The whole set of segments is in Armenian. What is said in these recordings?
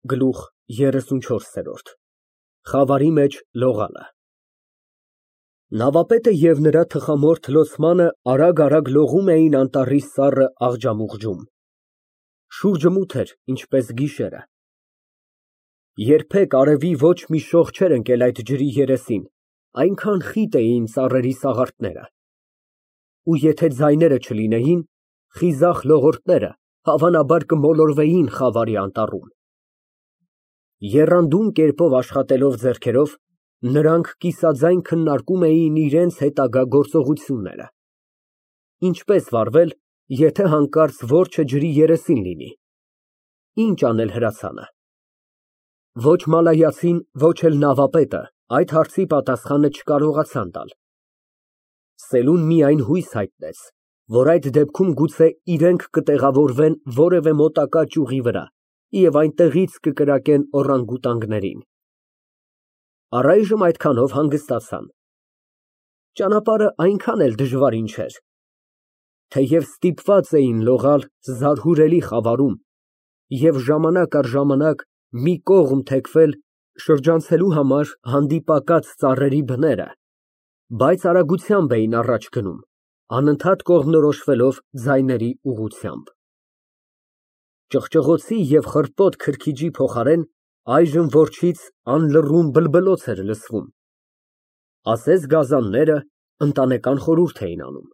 Գլուխ 34 Խավարի մեջ լողալը Նավապետը և նրա թխամորթ լոցմանը արագ լողում էին անտառի սառը աղջամուղջում։ Շուրջը մութ էր, ինչպես գիշերը։ Երբեք արևի ոչ մի շող չէր ընկել այդ ջրի երեսին, այնքան խիտ էին ծառերի սաղարթները։ Ու եթե ձայները չլինեին, խիզախ լողորդները հավանաբար կմոլորվեին խավարի անտառում։ Եռանդուն կերպով աշխատելով ձեռքերով, նրանք կիսաձայն քննարկում էին իրենց հետագա գործողությունները. ինչպես վարվել, եթե հանկարծ որջը ջրի երեսին լինի, ինչ անել հրացանը։ Ոչ մալայացին, ոչ էլ նավապետը այդ հարցի պատասխանը չկարողացան տալ։ Սելուն միայն հույս հայտնեց, որ այդ դեպքում գուցե իրենք կտեղավորվեն որևէ մոտակա ճյուղի վրա և այնտեղից կկրակեն օռանգուտանգներին։ Առայժմ այդքանով հանգստացան։ Ճանապարհը այնքան էլ դժվարին չէր։ Թեև ստիպված էին լողալ զարհուրելի խավարում և ժամանակ առ ժամանակ մի կողմ թեքվել շրջանցելու համար հանդիպակաց ծառերի բները, բայց արագությամբ էին առաջ գնում, անընդհատ կողմնորոշվելով ձայների ուղղությամբ։ Ճղճղոցի և խռպոտ քրքիջի փոխարեն այժմ որջից անլռուն բլբլոց էր լսվում։ Ասես գազանները ընտանեկան խորհուրդ էին անում։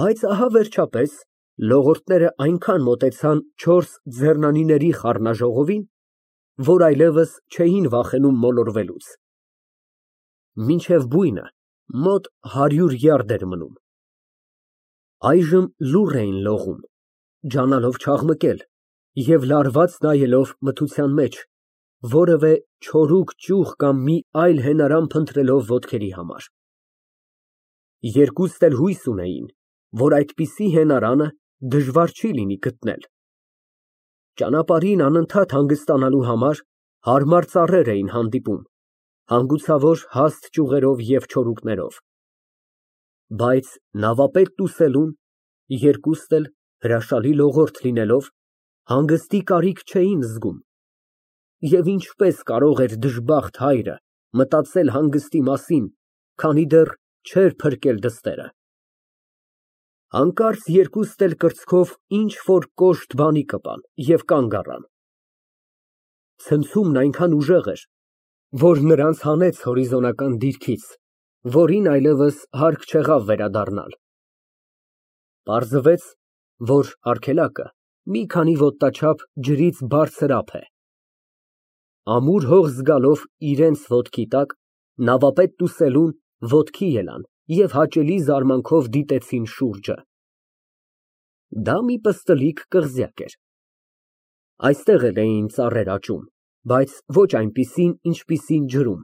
Բայց ահա վերջապես լողորդները այնքան մոտեցան 4 ձեռնանիների խառնաժողովին, որ այլևս չէին վախենում մոլորվելուց։ Մինչև բույնը մոտ 100 յարդ էր մնում։ Այժմ լուռ էին լողում, ջանալով չաղմկել և լարված նայելով մթության մեջ, որևէ չորուկ ճյուղ կամ մի այլ հենարան փնտրելով ոտքերի համար։ Երկուստ էլ հույս ունեին, որ այդպիսի հենարանը դժվար չի լինի գտնել։ Ճանապարհին անընդհատ հանգստանալու համար հարմար ծառեր էին հանդիպում, հանգուցավոր հաստ ճյուղերով և չորուկներով։ Բայց նավապետն ու սելուն, երկուստ էլ հրաշալի լողորդ լինելով, հանգստի կարիք չէին զգում։ Եվ ինչպես կարող էր դժբախտ հայրը մտածել հանգստի մասին, քանի դեռ չէր փրկել դստերը։ Հանկարծ երկուստ էլ կրծքով ինչ֊որ կոշտ բանի կպան և կանգ առան։ Ցնցումն այնքան ուժեղ էր, որ նրանց հանեց հորիզոնական դիրքից, որին այլևս հարկ չեղավ վերադառնալ։ Պարզվեց, որ արգելակը մի քանի ոտնաչափ ջրից բարձր ափ է։ Ամուր հող զգալով իրենց ոտքի տակ, նավապետն ու սելուն ոտքի ելան և հաճելի զարմանքով դիտեցին շուրջը։ Դա մի պստլիկ կղզյակ էր։ Այստեղ էլ էին ծառեր աճում, բայց ոչ այնպիսին, ինչպիսին ջրում։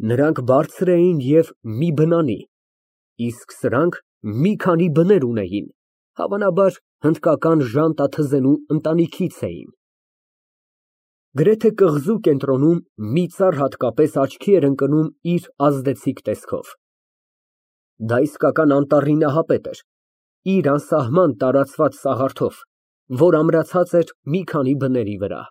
Նրանք բարձր էին և մի բնանի, իսկ սրանք մի քանի բներ ունեին, հավանաբար հնդկական ժանտաթզենու ընտանիքից էին։ Գրեթե կղզու կենտրոնում մի ծառ հատկապես աչքի էր ընկնում իր ազդեցիկ տեսքով։ Դա իսկական անտառի նահապետ էր, իր անսահման տարածված սաղարթով, որ ամրացած էր մի քանի բների վրա։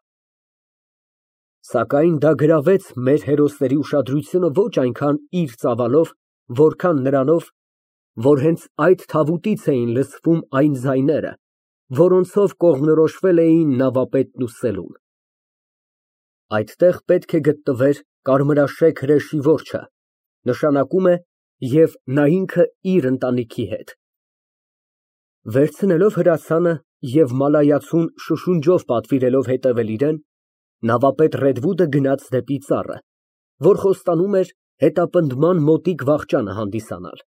Սակայն դա գրավեց մեր հերոսների ուշադրությունը ոչ այնքան իր ծավալով, որքան նրանով, որ հենց այդ թավուտից էին լսվում այն ձայները, որոնցով կողմնորոշվել էին նավապետն ու սելուն։ Այդտեղ պետք է գտնվեր կարմրաշեք հրեշի որջը, նշանակում է և նա ինքը իր ընտանիքի հետ։ Վերցնելով հրացանը և մալայացուն շշունջով պատվիրելով հետևել իրեն, նավապետ Ռեդվուդը գնաց դեպի ծառը, որ խոստանում էր հետապնդման մոտիկ վախճանը հանդիսանալ։